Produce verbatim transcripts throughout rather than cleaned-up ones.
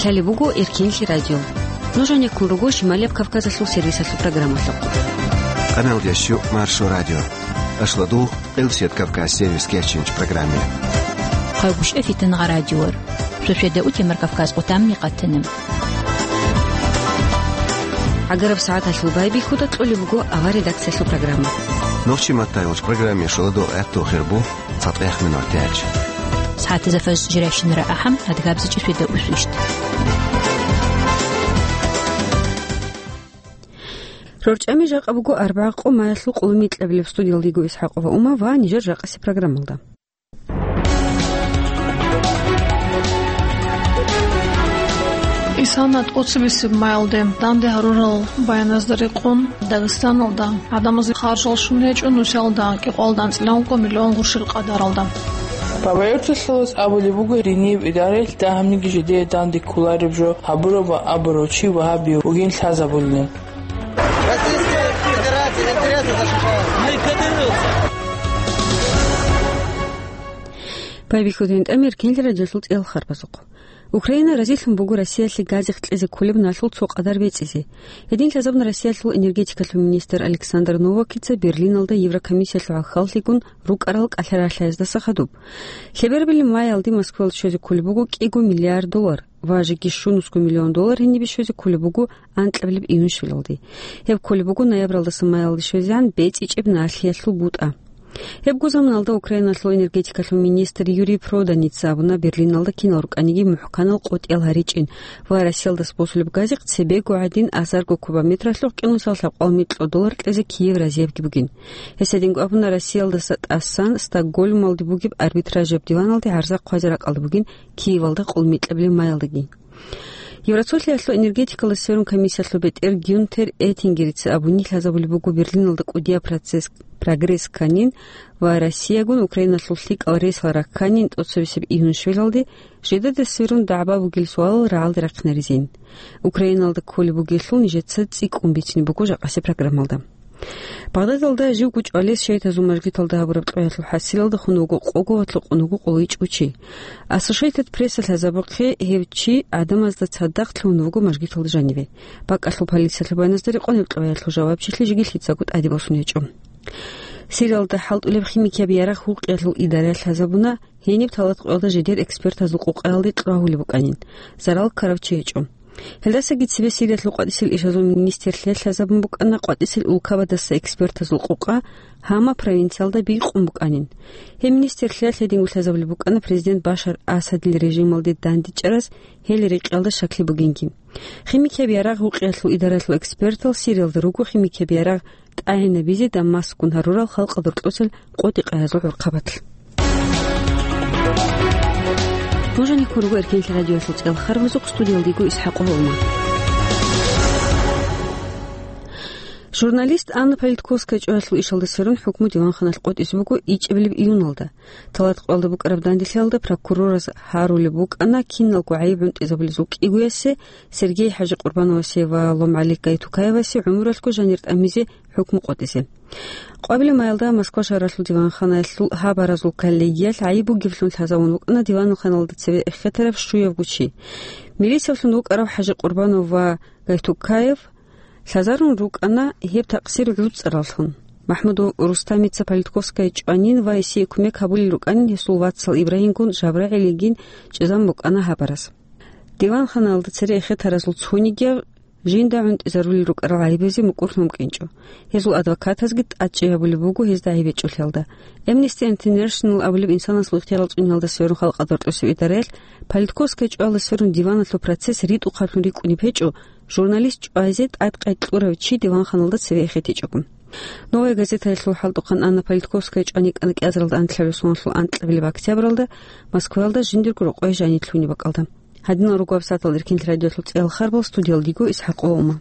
Лъалеб буго Эркенлъи радио. Нуж гьанеккун руго Шималияб Кавказалъул сервисалъул программалъухъ. Къамелдящу Маршо радио. Ашладугъ, Къилсият Кавказ сервис кечинч программе. Хъайгъушев Фитангъа радиор. Шошеда утемар Кавказ къутамни къатанам. ГӀагараб сагӀаталъул байбихьуда кьолеб буго авар редакциялъул программа. Нохчи маттайолч программе шоладо гӀатту хирбу. ЦатӀех минутач. СагӀатазда фажр жирайщинара ахӀам, адгабзичӀи шведа усвищт. РорчӀами жакъа буго арбагъа къо маялъул къоло микьабилеб. Студиялда йиго ИсхӀакъова Ума ва нижер жакъаси программалда. Исана тӀоцебесеб маялде данде гьарурал баяназда рекъон, Дагъистаналда гӀадамазе харжал щун гьечӀо нусиялда кӀикъоялда анцӀила ункъо миллион гъурщил къадаралда. Бабаюрталъулас абулеб буго, динияб идараялъ дагьабниги жидее данде кколареб жо гьабурав ва абурав чи вагьабияв вугин лъазабулин. Российская Федерация интересы защищает. Байбихьуда гьанже тӀамир кинлъи радиолъул цӀеял харбазухъ. Украина разилъун буго Россиялъе газихъ кьезе кколеб налъул цо къадар бецӀизе. Гьедин лъазабуна Россиялъул энергетикалъул министр Александр Новакица Берлиналда Еврокомиссиялъул гӀахьаллъигун рукӀарал кӀалъаралъаздаса хадуб. Лъеберабилеб маялде Москваялде щвезе кколеб буго кӀиго миллиард доллар ва жеги щунусго миллион доллар гьенибе щвезе кколеб буго анкьабилеб июнь щвелалде. Гьеб кколеб буго ноябралдаса маялде щвезегӀан бецӀичӀеб налъиялъул бутӀа. Гьебго заманалда Украиналъул энергетикалъул министр Юрий Проданица абуна, Берлиналда кинал рукӀаниги мухӀканал къотӀиял гьаричӀин ва Россиялдаса босулеб газихъ цебего гӀадин азарго кубометралъухъ кӀинусал лъабкъоялда микьго доллар кьезе Киев разиябги бугин. Гьес гьединго абуна, Россиялдаса тӀасан Стокгольмалде бугеб арбитражияб диваналде гӀарза хъвазе ракӀалда бугин Киевалда къоло микьабилеб маялдаги. Евросоюзалъул энергетикалда сверун комиссиялъул бетӀер Гюнтер Эттингерица абуни, лъазабулеб буго Берлиналда кӀудияб процесс, прогресс кканин ва Россиягун Украиналъул лъикӀал ресал ракканин тӀоцебесеб июнь щвелалде, жидеда сверун дагӀба бугел суалал рагӀалде рахъинаризин. Украиналда кколеб бугелъул нижеца цӀикӀкӀун бицине буго жакъаси программалда. Багъдадалда живго чӀвалес шайтазул мажгиталда гьабураб кьваялъул хӀасилалда хун вуго къого ва лъукъун вуго къоло ичӀго чи. Associated Press-а лъазабухъе, гьев чи гӀадамазда цадахъ лъугьун вуго мажгиталда жаниве. БакӀалъул полициялъул баяназда рекъон гьеб кьваялъул жавабчилъи жеги лъицаго тӀаде босун гьечӀо. Сириялда хӀалтӀулеб химикияб ярагъ гьукъиялъул идараялъ лъазабуна, гьениб талатӀкъоялда жидер экспертазул къукъаялде кьвагьулеб букӀанин, зарал ккарав чи гьечӀо. Гьелдасаги цебе Сириялъул къватӀисел ишазул министрлъиялъ лъазабун букӀана къватӀисел улкабадаса экспертазул къукъа Гьама провинциялда бикъун букӀанин. Гьеб министрлъиялъ гьединго лъазабулеб букӀана президент Башар Асадил режималде дандечӀараз гьел рекъелда щаклъи бугинги. Химикияб ярагъ гьукъиялъул идаралъул экспертал Сириялда руго химикияб ярагъ тӀагӀинабизе Дамаскгун гьарурал халкъалда рокьосел къотӀи-къаязул гӀурхъабалъ. Нуж гьанеккун руго Эркенлъи радиоялъул цӀеял харбазухъ, студиялда йиго ИсхӀакъова Ума. Журналист Анна Политковская чӀваялъул ишалда сверун хӀукму диванханалъ къотӀизе буго ичӀабилеб июналда. ТалатӀкъоялда букӀараб данделъиялда прокурорас гьарулеб букӀана киналго гӀайиб гӀунтӀизабулезул кӀигоясе, Сергей ХӀажикъурбановасе ва ЛомгӀали Гайтукаевасе гӀумралъго жанир тӀамизе хӀукму къотӀизе. Къвабилеб маялда Москва шагьаралъул диванханаялъул гьабаразул коллегиялъ гӀайиб бугеблъун лъазабун букӀана диванханалда цеве эхетараб щуябго чи. Милициялъун вукӀарав ХӀажикъурбанов ва Гайтукаев лъазарун рукӀана гьеб такъсир гӀуцӀараллъун. МахӀмудов Рустамица Политковская чӀванин ва гьесие кумек гьабулел рукӀанин гьесул вацал Ибрагьимгун ЖабрагӀилигин чӀезан букӀана гьабарас. Диванханалда цере эхетаразул цонигияв жинда гӀунтӀизарулел рукӀарал гӀайибазе мукӀурлъун вукӀинчӀо. Гьезул адвокатазги тӀадчӀей гьабулеб буго гьезда гӀайиб гьечӀолъиялда. Amnesty International абулеб инсанасул ихтиярал цӀуниялда сверун халкъалда рокьосеб идараялъ Политковская чӀваялда сверун диваналъул процесс ритӀухъаблъун рикӀкӀунеб гьечӀо, журналист чӀвазе тӀадкъай кьурав чи диванханалда цеве эхетичӀого. Новая газетаялъул хӀалтӀухъан Анна Политковская чӀван йикӀана кӀиазаралда анлъабилеб соналъул анкьабилеб октябралда Москваялда жиндирго рокъове жанир лъугьунеб бакӀалда. Гьадинал руго гьабсагӀаталда Эркенлъи радиоялъул цӀеял харбал, студиялда йиго ИсхӀакъова Ума.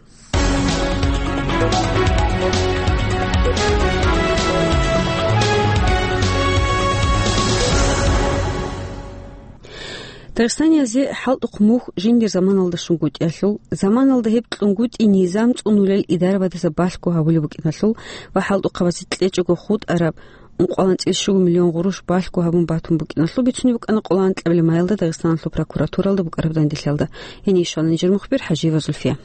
Дагъистаниязде хӀалтӀухъ мухь жиндир заманалда щунгутӀиялъул, заманалда гьеб кьунгутӀи низам цӀунулел идарабаздаса балъго гьабулеб букӀиналъул ва хӀалтӀухъабазе кьечӀого хутӀараб ункъоялда анцӀила щуго миллион гъурущ балъго гьабун батун букӀиналъул бицунеб букӀана къоло анкьабилеб майалда Дагъистаналъул прокуратуралда букӀараб данделъиялда. Гьениб щвана нижер мухбир ХӀажиева Зульфия.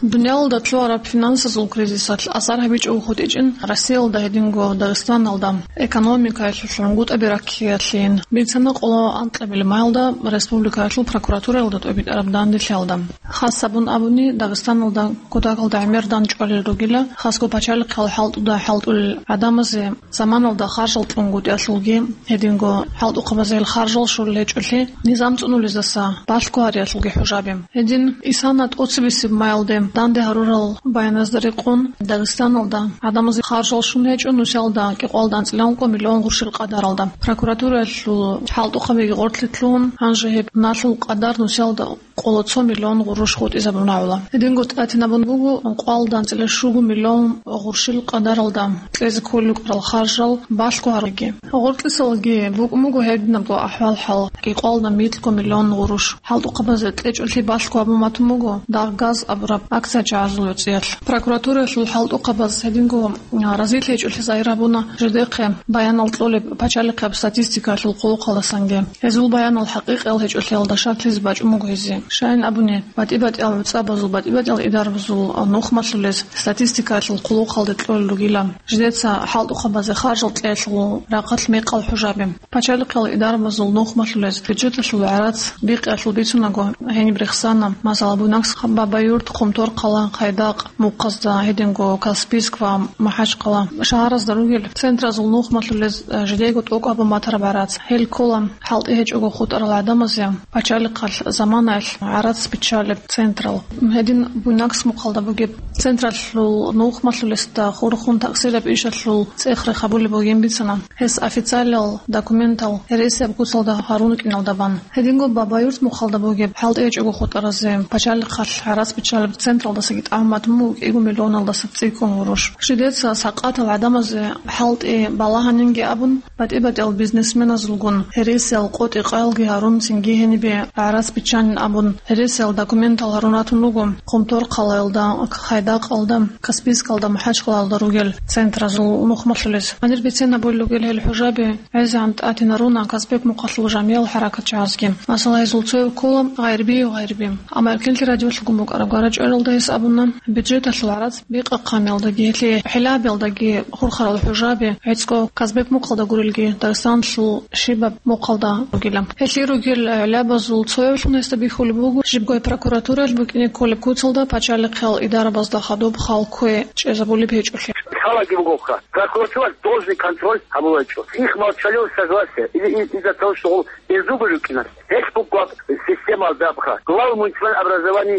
Дуниялалда лъугьараб финансазул кризисалъ асар гьабичӀого хутӀичӀин Россиялда гьединго Дагъистаналда экономикаялъул гӀунгутӀаби раккиялъин. Бицана къоло анкьабилеб майалда республикаялъул прокуратуралда тӀобитӀараб данделъиялда. Хас гьабун абуни, Дагъистаналда кутакалда гӀемер данчӀвалел ругила хасго пачалихъал хӀалтӀуда хӀалтӀулел гӀадамазе заманалда харжал кьунгутӀиялъулги, гьединго хӀалтӀухъабазе гьел харжал щолел гьечӀолъи низам цӀунулездаса балъго гьариялъулги хӀужаби. Гьедин, исана тӀоцебесеб майалде данде гьарурал баяназда рекъон, Дагъистаналда гӀадамазе харжал щун гьечӀо нусиялда кӀикъоялда анцӀила ункъо миллион гъурущил къадаралда. Прокуратураялъул хӀалтӀухъабиги гъоркье лъугьун, гьанже гьеб налъул къадар нусиялда къоло цо миллион гъурущ хутӀизабун рагӀула. Гьединго тӀатинабун буго ункъоялда анцӀила щуго миллион гъурущил къадаралда кьезе кколел рукӀарал харжал балъго гьаруги. Гъоркьисалги букӀун буго гьединабго ахӀвал-хӀал: кӀикъоялда микьго миллион гъурущ хӀалтӀухъабазе кьечӀолъи балъго гьабун батун буго «Дагъ-газ» абураб акция-чагӀазул гӀуцӀиялъ. Прокуратураялъул хӀалтӀухъабаз гьединго разилъи гьечӀолъи загьир гьабуна жидехъе баянал кьолеб пачалихъаб статистикаялъул хъулухъалдасанги. Гьезул баянал хӀакъикъиял гьечӀолъиялда шаклъизе бачӀун буго гьезие. Щайин абуни, батӀи-батӀиял гӀуцӀабазул, батӀи-батӀиял идарабазул нухмалъулез статистикаялъул хъулухъалде кьолел ругила жидеца хӀалтӀухъабазе харжал кьеялъул рахъалъ мекъал хӀужаби. Пачалихъал идарабазул нухмалъулез бюджеталъул гӀарац бикъиялъул бицунаго, гьениб рехсана, масала, Буйнакск, Бабаюрт, Хъумторхъала, Хайдакъ, Мухъазда, гьединго Каспийск ва МахӀачхъала шагьаразда ругел центразул нухмалъулез, э, жидего тӀокӀаб матараб гӀарац. Гьел ккола хӀалтӀи гьечӀого хутӀарал гӀадамазе пачалихъалъ заманаялъ гӀарац биччалеб централ. Гьедин Буйнакск мухъалда бугеб централъул нухмалъулесда хурхун такъсираб ишалъул цӀех-рех гьабулеб бугин бицана. Гьес официалиял документал гьересияб куцалда гьарун рукӀиналда бан. Гьединго Бабаюрт мухъалда бугеб хӀалтӀи гьечӀого хутӀаразе пачалихъалъ гӀарац биччалеб централдасаги тӀамун батун буго кӀиго миллионалдаса цӀикӀкӀун гъурущ. Жидеца сакъатал гӀадамазе хӀалтӀи балагьанинги абун, батӀи-батӀиял бизнесменазулгун гьересиял къотӀи-къаялги гьарун, цинги гьенибе гӀарац биччанин абун, гьересиял документал гьарун ратун руго Хъумторхъалаялда, Хайдакъалда, Каспийскалда, МахӀачхъалаялда ругел центразул нухмалъулез. Гьанир бицен гьабулел ругел гьел хӀужаби гӀезегӀан тӀатинаруна Казбек мухъалъул жамиял хӀаракатчагӀазги. Масала, гьезул цояв ккола Гъайрбиев Гъайрби. Амма Эркенлъи радиолъулгун букӀараб гварачӀваралда гьес абуна, бюджеталъул гӀарац бикъахъанялдаги, гьелъие хӀилабиялдаги хурхарал хӀужаби гӀицӀго Казбек мухъалда гурелги, Дагъистаналъул щибаб мухъалда ругила. Гьелъие ругел гӀелабазул цоявлъун гьесда бихьулеб буго, жибгой прокуратураялъ букӀине кколеб куцалда пачалихъал идарабазда хадуб хал ккве чӀезабулеб гьечӀолъи. Халаги бугоха, прокуратура должный контроль гьабулачӀо. Их молчаливого согласия или из-, из-за того, что он беззубый рукинас. Гьелъ бугеб системалда абха. Глава муниципального образования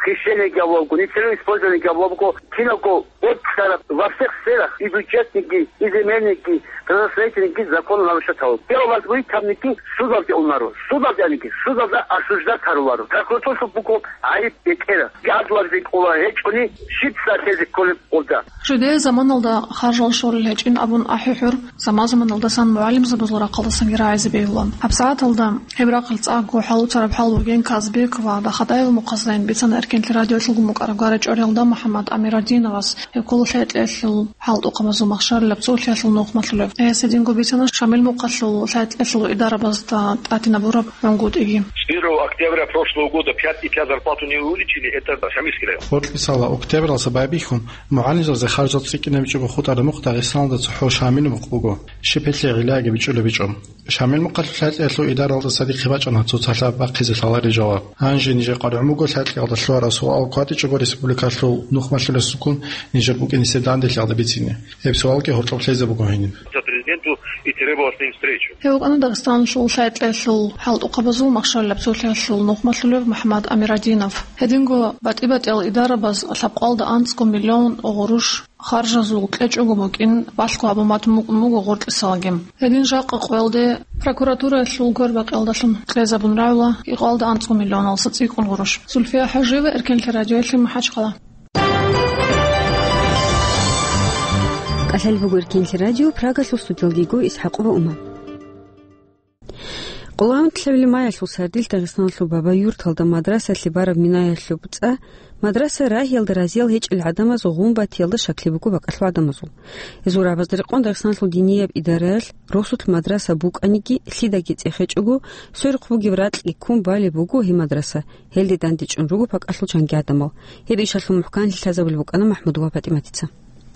хищение гьабулеб буго, нецелевое использование гьабулеб буго, киналго вот стараб во всех сферах, и бюджетникги, и земельникги, градостроительникги закон нарушать гьабулеб. Дело возбудить гьабники судалде унаро. Судалде аники, судалда осуждать гьаруларо. Прокуратураялъул буго гӀайиб бетӀера. Гьадур ккола гьечӀони, щиб статьязе кколеб гьелда. Жидее заманалда харжал щолел гьечӀин абун ахӀи-хӀур заман-заманалдасан мугӀалимзабазул рахъалдасанги рагӀизе бегьула. ГьабсагӀаталда гьеб рахъалъ цӀакъго хӀалуцараб хӀал бугин Казбек ва Дахадаев мухъазда. Бицана Эркенлъи радиолъулгун букӀараб гварачӀваралда МухӀаммад Амирадиновас, гьев ккола лъай-лъиялъул хӀалтӀухъабазул махщарилаб цолъиялъул нухмалъулев. Гьес гьединго бицана Шамил мухъалъул лъай-лъиялъул идарабазда тӀатинабураб гӀунгутӀиги. С первого октября прошлого года пять и пять зарплату не увеличили, это Шамильский район. Гъоркьисала октябралдаса байбихьун, мугӀалимзабазе харжал цӀикӀкӀинабичӀого хутӀараб мухъ Дагъистаналда цохӀо Шамил мухъ буго, щиб гьелъие гӀиллаги бичӀчӀулеб гьечӀо. Шамил мухъалъул лъай-лъиялъул идаралда цадихъе бачӀана цоцалъа бахъизе лъаларел жаваб. Гьанже нижер къваригӀун буго лъай-лъиялда лъугьараб суал кватӀичӀого республикалъул нухмалъулесгун нижер букӀине данделъиялда бицине. Гьеб суалги гьоркьоб лъезе буго гьениб. Президенту и требовал с ним встречу. Гьев вукӀана Дагъистаналъул лъай-лъиялъул хӀалтӀухъабазул махщарилаб цолъиялъул нухмалъулев МухӀаммад Амирадинов. Гьединго батӀи-батӀиял идарабаз лъабкъоялда анцӀго миллион гъурущ харжазул кьечӀого букӀин балъго гьабун батун букӀун буго гъоркьисалаги. Гьедин жакъа къоялде прокуратураялъул гвербакъиялдалъун кьезабун рагӀула кӀикъоялда анцӀго миллионалдаса цӀикӀкӀун гъурущ. Зульфия ХӀажиева, Эркенлъи радиоялъе, МахӀачхъала. КӀалъалеб буго Эркенлъи радио, Прагалъул студиялда йиго ИсхӀакъова Ума. Къоло гьаб тӀалабилеб маялъул сардилъ Дагъистаналъул Бабаюрталда мадрасалъе бараб минаялъуб цӀа, мадраса рагьиялда разиял гьечӀел гӀадамаз гъун батиялда щаклъи буго бакӀалъул гӀадамазул. Гьезул рагӀабазда рекъон Дагъистаналъул динияб идараялъ росулъ мадраса букӀаниги, лъидаги цӀехечӀого, сверухъ бугеб ракьги ккун балеб буго гьеб мадраса, гьелде дандечӀун руго бакӀалъул чанги гӀадамал. Гьеб ишалъул мухӀканлъи лъазабулеб букӀана МахӀмудова ПатӀиматица.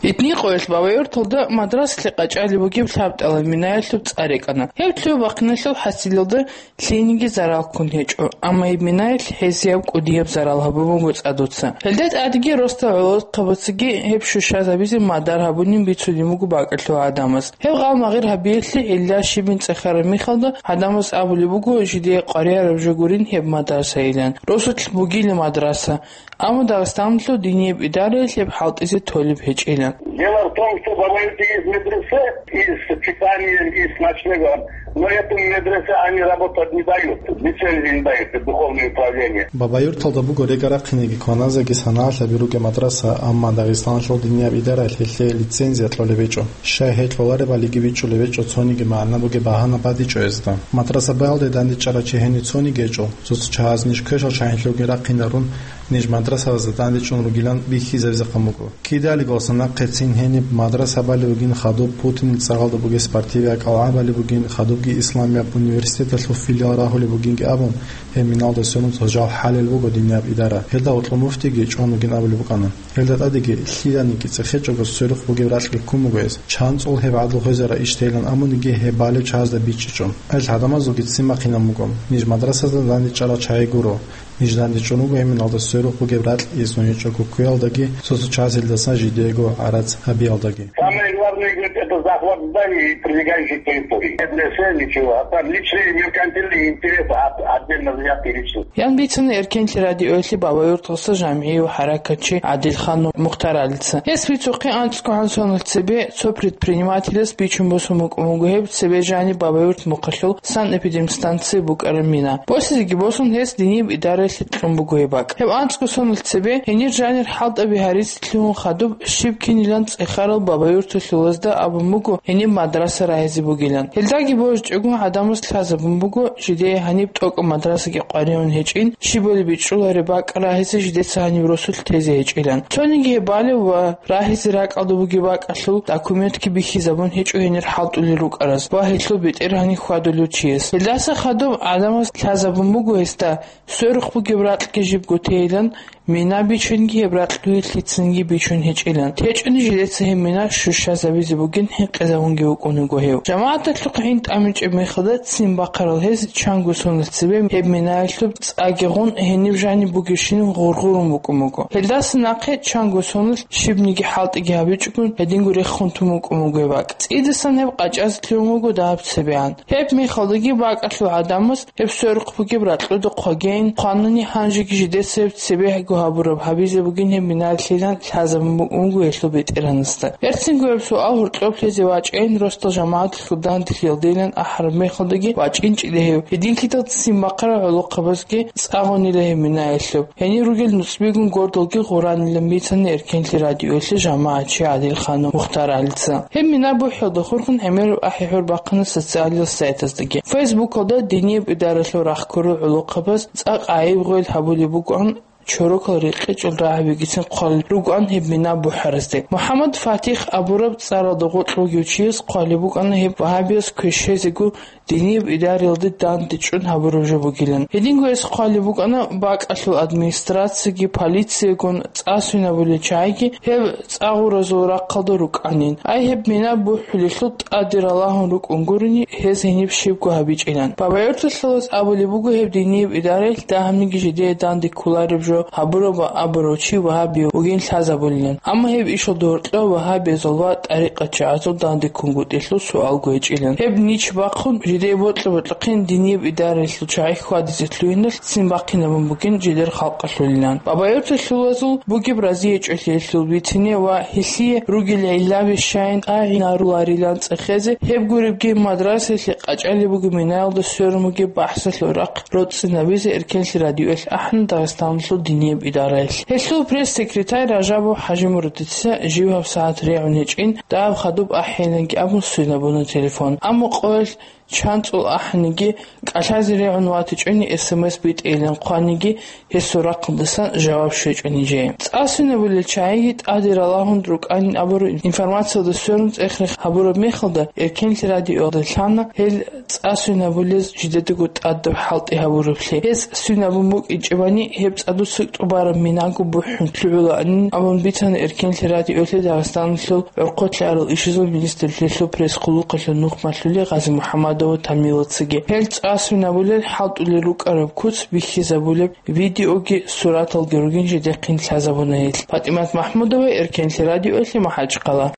Гьитни къоялъ Бабаюрталда мадрасалъе къачӀалеб бугеб лъаб тӀалаб минаялъуб цӀа рекӀана. Гьеб лъугьа-бахъиналъул хӀасилалда лъиениги зарал ккун гьечӀо, амма гьеб минаялъ хӀезияб кӀудияб зарал гьабун буго цӀадуца. Гьелда тӀадеги росдал гӀолохъабацаги гьеб щущазабизе мадар гьабунин бицунеб буго бакӀалъул гӀадамаз. Гьеб гъал-магъир гьабиялъе гьелда щибин цӀехараб мехалда гӀадамаз абулеб буго жидее къваригӀараб жо гурин гьеб мадрасайилан. Росулъ бугила мадраса. Амма Дагъистаналъул динияб идараялъ гьеб хӀалтӀизе толеб гьечӀила. Дело в том, что в Бабаюрте есть медресе и с питанием, и с ночлегом, но эту медресе они работать не дают, лицензии не дают, это духовное управление. Бабаюрталда буго регарахъинеги кваназеги санагӀалъаби ругеб мадраса, амма Дагъистаналъул динияб идараялъ гьелъие лицензия кьолеб гьечӀо. Щай гьеб кьоларебалиги бичӀчӀулеб гьечӀо, цониги магӀна бугеб багьана батичӀо гьезда. Мадраса балде дандечӀарав чи гьенив цониги гьечӀо. Цо-цо чагӀаз ниж квешал чагӀинлъуги рахъинарун, ниж мадрасабазда дандечӀун ругилан бихьизабизехъан буго. Кидалиго нахъе цин гьениб мадраса балеб бугин хадуб Путинил цагъалда бугеб спортивияб кӀалгӀа балеб бугин, хадубги исламияб университеталъул филиал рагьулеб бугинги абун, гьеб миналда сверун цо жал хӀалел буго динияб идара. Гьелда гьоркьоб муфтиги чӀун вугин абулеб букӀана. Гьелда тӀадеги лъиданиги цӀехечӀого сверухъ бугеб ракьги ккун буго гьез. ЧанцӀул гьеб гӀадлу гьезарай иш тейилан абуниги гьеб балев чагӀазда бичӀчӀичӀо. Гьел гӀадамазулги ццин бахъинаб буго. Ниж мадрасазда дандечӀарал чагӀи гуро. Ниж дандечӀун руго гьеб миналда сверухъ бугеб ракь изну гьечӀого ккуялдаги, цо-цо чагӀазелдасан жидеего гӀарац гьабиялдаги. Самое главное, говорит, это захват зданий и прилегающих территорий. Нет для себя ничего, а там личные меркантильные интересы от-, отдельно взятые личности. Ян бицана Эркенлъи радиоялъе Бабаюрталъа жамгӀияв хӀаракатчи ГӀадилхан Мухтаралица. Гьес бицухъе анцӀго хӀанзаналъ цебе цо предпринимателас бичун босун букӀун буго гьеб цебе жаниб Бабаюрт мухъалъул санэпидемстанци букӀараб мина. Босизеги босун, гьес динияб идараялъе кьун буго гьеб бакӀ. Гьеб анцӀго соналъ цебе гьенир жанир хӀалтӀаби гьаризе лъугьун хадуб щиб кинилан цӀехарал Бабаюрталъулазда абун буго гьениб мадраса рагьизе бугилан. Гьелдаги божичӀогун гӀадамаз лъазабун буго, жидее гьаниб тӀокӀаб мадрасаги къваригӀун гьечӀин, щибали бичӀчӀулареб бакӀ рагьизе жидеца гьаниб росулъ тезе гьечӀилан. Цониги гьеб балев ва рагьизе ракӀалда бугеб бакӀалъул документги бихьизабун гьечӀо гьенир хӀалтӀулел рукӀараз ва гьелъул бетӀергьани хьвадулев чияс. Гьелдаса хадуб гӀадамаз лъазабун буго гьесда, сверухъ бугеб ракьги жибго тейилан, мина бичунги гьеб ракьги лъицанги бичун гьечӀилан. ТечӀони жидеца гьеб мина щущазабизе бугин хӀинкъизабунги вукӀун вуго гьев. ЖамагӀаталъухъ гӀин тӀамичӀеб мехалда ццин бахъарал гьез чанго соналъ цебе гьеб минаялъуб цӀаги гъун гьениб жаниб бугебщинаб гъургъурун букӀун буго. Гьелдаса нахъе чанго соналъ щибниги хӀалтӀиги гьабичӀогун гьединго рехун тун букӀун буго гьеб бакӀ. ЦӀидасан гьеб къачӀазе лъугьун буго дагьаб цебегӀан. Гьеб мехалдаги бакӀалъул гӀадамаз гьеб сверухъ бугеб ракьуда хъвагейин хъванани, гьанжеги жидеца гьеб цебегӀго гьабураб гьабизе бугин гьеб минаялъилан лъазабун букӀун буго гьелъул бетӀергьанасда. Берцинго гьеб суал гьоркьоб лъезе вачӀайин, росдал жамагӀаталъул данделъиялдейилан ахӀараб мехалдаги вачӀинчӀила гьев. Гьединлъидал ццин бахъарал гӀолохъабазги цӀа гъунила гьеб минаялъуб. Гьенир ругел нуцӀбигун гордалги гъуранилан бицана Эркенлъи радиоялъе жамагӀатчи ГӀадилхан Мухтаралица. Гьеб мина бухӀиялда хурхун гӀемераб ахӀи-гӀур бахъана социалил сайтаздаги. Фейсбукалда динияб идаралъул рахъ ккурал гӀолохъабаз цӀакъ гӀайиб-гъвел гьабулеб букӀун, чорокал рекъечӀул рагӀабигицин хъвалел ругоан гьеб мина бухӀаразде. МухӀаммад ФатихӀ абураб цӀаралда гъоркь вугев чияс хъвалеб букӀана гьеб вагьабияс квешезего динияб идараялде дандечӀун гьабураб жо бугилан. Гьединго гьес хъвалеб букӀана бакӀалъул администрацияги, полициягун цӀа свинабулел чагӀиги гьеб цӀа гъуразул рахъалда рукӀанин. Ай гьеб мина бухӀулелъул тӀаде ралагьун рукӀун гурони, гьез гьениб щибго гьабичӀилан. Бабаюрталъулаз абулеб буго гьеб динияб идараялъ дагьабниги жидее данде кколареб жо гьабураб ва абурав чи вагьабияв вугин лъазабулилан. Амма гьеб ишалда гьоркьоб вагьабиязул ва тӀарикъатчагӀазул данде ккунгутӀелъул суалго гьечӀилан. Гьеб нич бахъун, жидее бокьа-бокьахъин динияб идараялъул чагӀи хьвадизе лъугьиналъ ццин бахъинабун бугин жидер халкъалъулилан. Бабаюрталъулазул бугеб разиячӀолъиялъул бицине ва гьелъие ругел гӀиллаби щайин тӀагӀинаруларилан цӀехезе, гьеб гуребги мадрасаялъе къачӀалеб бугеб минаялда сверун бугеб бахӀсалъул рахъ роцӀцӀинабизе Эркенлъи радиоялъ ахӀана Дагъистаналъул динияб идараялъ. Гьелъул пресс-секретарь Ражабов ХӀажимурадица жив гьабсагӀат регӀун гьечӀин, дагьаб хадуб ахӀейиланги абун свинабуна телефон. Амма къоялъ ЧанцӀул ахӀаниги, кӀалъазе регӀун ватичӀони эс эм эс битӀейилан хъваниги, гьесул рахъалдасан жаваб щвечӀони жеги. ЦӀа свинабулел чагӀиги тӀаде ралагьун рукӀанин абураб информациялда сверун цӀех-рех гьабураб мехалда, Эркенлъи радиоялда лъана гьел цӀа свинабулез жидедаго тӀадаб хӀалтӀи гьабураблъи. Гьез свинабун букӀинчӀебани, гьеб цӀадуца тӀубараб минаго бухӀун лъугӀулаанин абун бицана Эркенлъи радиоялъе Дагъистаналъул гӀурхъулъи гьарал ишазул министрлъиялъул пресс-хъулухъалъул нухмалъулев Гъази-МухӀамадова Тамилацаги. Гьел цӀа свинабулел хӀалтӀулел рукӀараб куц бихьизабулеб видеоги сураталги ругин жидехъин лъазабуна гьел. ПатӀимат МахӀмудова, Эркенлъи радиоялъе, МахӀачхъала.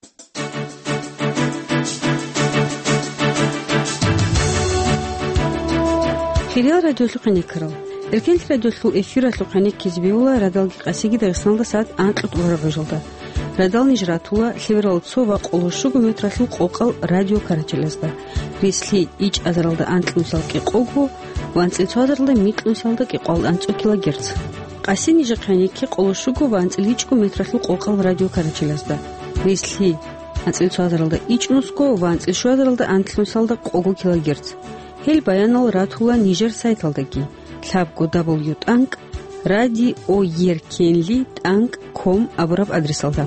Хириял радиолъухъ гӀенеккарал. Эркенлъи радиолъул эфиралъухъ гӀенеккизе бегьула радалги къасиги Дагъистаналда сагӀат анкьго тӀубараб гӀужалда. Радал ниж ратула лъеберал цо ва къоло щуго метралъул къокъал радиокарачелазда. Рислъи ичӀазаралда анлънусал кӀикъого ва анцӀил цоазаралда микьнусалда кӀикъоялда анцӀго килогерц. Къаси нижехъ гӀенекке къоло щуго ва анцӀил ичӀго метралъул къокъал радиокарачелазда. Рислъи анцӀил цоазаралда ичӀнусго ва анцӀил щуазаралда анлънусалда къого килогерц. Гьел баянал ратула нижер сайталдаги, лъабго дабл ю тӀанкӀ радиоеркенли тӀанкӀ ком абураб адресалда.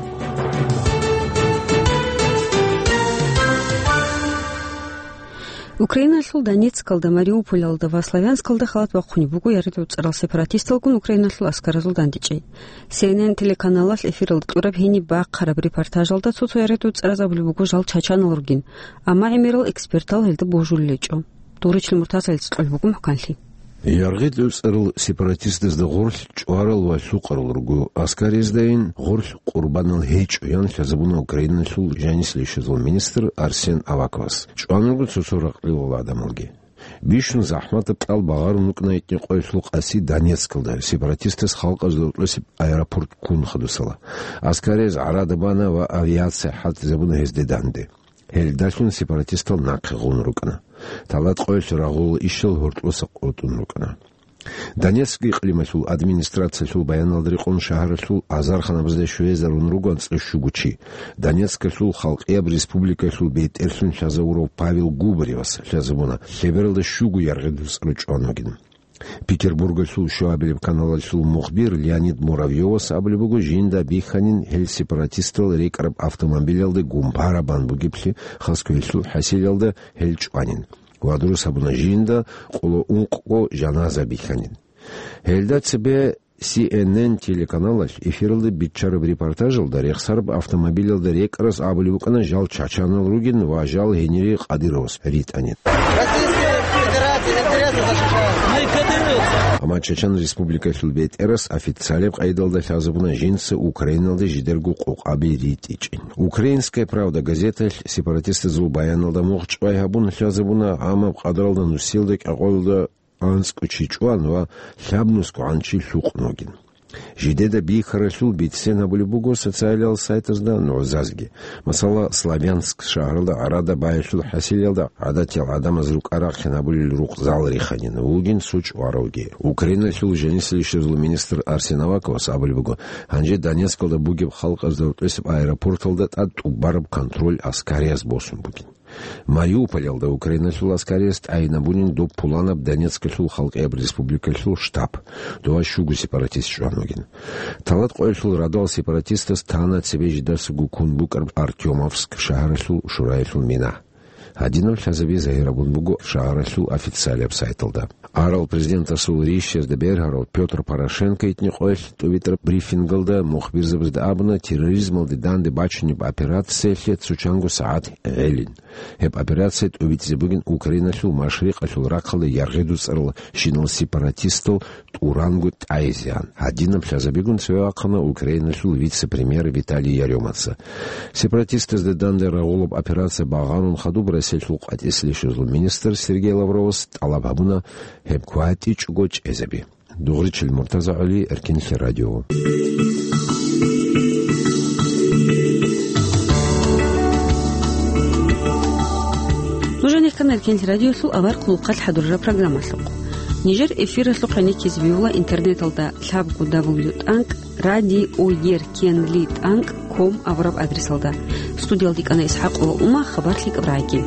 Украиналъул Донецкалда, Мариуполалда ва Славянскалда халат бахъунеб буго яргъи-дуцӀарал сепаратисталгун Украиналъул аскаразул дандечӀей. Си Эн Эн телеканалалъ эфиралда кьураб гьениб бахъараб репортажалда цо-цо яргъи-дуцӀараз абулеб буго жал чачанал ругин, амма гӀемерал экспертал гьелда божулел гьечӀо. Дугъричил Муртазаца кьолеб буго мухӀканлъи. ЯргъидуцӀарал сепаратистазда гъорлъ чӀварал ва лъукъарал руго, аскариздайин гъорлъ къурбанал гьечӀо, ян лъазабуна Украиналъул жанисел ишазул министр Арсен Аваковас. ЧӀван руго цо-цо ракълилал гӀадамалги. Бищун захӀматаб кьал багъарун рукӀна гьитӀинкъоялъул къаси Донецкалда, сепаратистаз халкъазда гьоркьосеб аэропорт ккун хадусала. Аскарияз гӀарада бана ва авиация хӀалтӀизабуна гьезде данде. Гьелдалъун сепаратистал нахъе гъун рукӀана. Талат къоялъ рагъул ишал гьоркьоса къотӀун рукӀана. Донецк икълималъул администрациялъул баяналда рекъон шагьаралъул азарханабазда щвезарун руго анцӀила щуго чи. Донецкалъул халкъияб республикалъул бетӀерлъун лъазавурав Павел Губаревас лъазабуна лъебералда щуго яргъи-дуцӀру чӀван вугин. Петербургалъул щуабилеб каналалъул мухбир Леонид Муравьёвас абулеб буго, жинда бихьанин гьел сепаратистал рекӀараб автомобилалде гумпара бан бугеблъи, Хасавюрталъул хӀасилалда гьел чӀванин. Ва дурус гьабуна, жинда къоло ункъго жаназа бихьанин. Гьелда цебе Си Эн Эн телеканалалъ эфиралда биччараб репортажалда рехсараб автомобилалда рекӀарас абулеб букӀана жал чачанал ругин ва жал гьенире Кадыровас ритӀанин. Российская Федерация интересы защищает. Амма Чачан Республикалъул бетӀерас официалияб къайдалда лъазабуна жинца Украиналда жидерго къокъаби ритӀичӀин. «Украинская правда» газеталъ сепаратистазул баяналда мугъчӀвай гьабун лъазабуна, амма къадралда нусиялда кӀикъоялда анцӀго чи чӀван ва лъабнусго гӀан чи лъукъун вугин. Жидеда бихьаралъул бицен гьабулеб буго социалиял сайтазда нугӀзазги. Масала, Славянск шагьаралда гӀарада баялъул хӀасилалда гӀадатиял гӀадамаз рукӀа-рахъин гьабулел рукъзал риханин вугин цо чӀваравги. Украиналъул жанисел ишазул министр Арсен Аваковас абулеб буго, гьанже Донецкалда бугеб халкъазда гьоркьосеб аэропорталда тӀад тӀубараб контроль аскарияз босун бугин. Мариуполалда Украиналъул аскарияс тӀагӀинабунин доб пуланаб Донецкалъул халкъияб республикалъул штаб, дова щуго сепаратист чӀван вугин. Талат къоялъул радал сепаратистас тана цебе жидасаго ккун букӀараб Артёмовск шагьаралъул шураялъул мина. Гьадинаб лъазаби загьирабун буго шагьаралъул официалияб сайталда. Арал президентасул рищазда бергьарав Пётр Порошенко итни къоялъ тӀубитӀараб брифингалда мухбирзабазда абуна, терроризмалде данде бачунеб операциялъе цо чанго сагӀат гӀелин. Гьеб операция тӀубитӀизе бугин Украиналъул машрикъалъул рахъалда яргъи-дуцӀарал щинал сепаратистал тӀуранго тӀайизегӀан. Гьадинаб лъазабигун цеве вахъана Украиналъул вице-премьер Виталий Ярёмаца. Сепаратистазда данде рагъулаб операция багъарун хадуб Россиялъул къватӀисел ишазул министр Сергей Лавровас тӀалаб гьабуна гьеб кватӀичӀого чӀезаби. Дугъричил Муртаза ГӀали, Эркенлъи радио. Нуж гьанихъан Эркенлъи радиолъул авар хъулухъалъ хӀадурараб программалъухъ. Нижер эфиралъухъ гьаниккизе бегьула интернеталда лъабго дабл ю тӀанкӀ радиоеркенли тӀанкӀ ком абураб адресалда. Студиялда йикӀана ИсхӀакъова Ума, хабар лъикӀаб рагӀи.